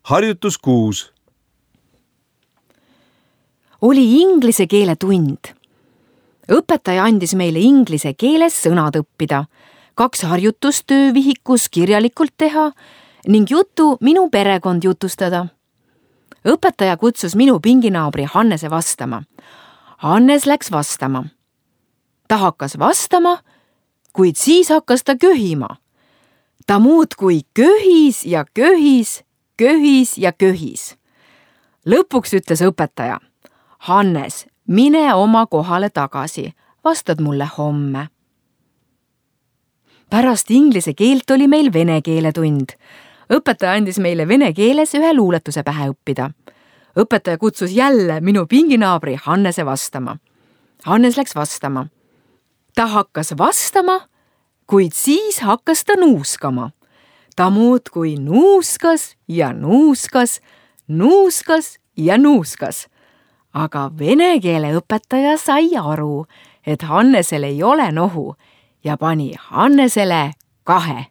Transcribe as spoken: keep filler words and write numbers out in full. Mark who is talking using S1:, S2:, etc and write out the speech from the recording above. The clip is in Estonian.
S1: Harjutus kuus.
S2: Oli inglise keele tund. Õpetaja andis meile inglise keeles sõnad õppida, kaks harjutust töövihikus kirjalikult teha ning jutu minu perekond jutustada. Õpetaja kutsus minu pinginaabri Hannese vastama. Hannes läks vastama. Ta hakkas vastama, kuid siis hakkas ta köhima. Ta muudkui köhis ja köhis, köhis ja köhis. Lõpuks ütles õpetaja: Hannes, mine oma kohale tagasi, vastad mulle homme. Pärast inglise keelt oli meil vene keele tund. Õpetaja andis meile vene keeles ühe luuletuse pähe õppida. Õpetaja kutsus jälle minu pinginaabri Hannese vastama. Hannes läks vastama. Ta hakkas vastama, kuid siis hakkas ta nuuskama. Ta muudkui nuuskas ja nuuskas, nuuskas ja nuuskas. Aga vene keele õpetaja sai aru, et Hannesel ei ole nohu ja pani Hannesele kahe.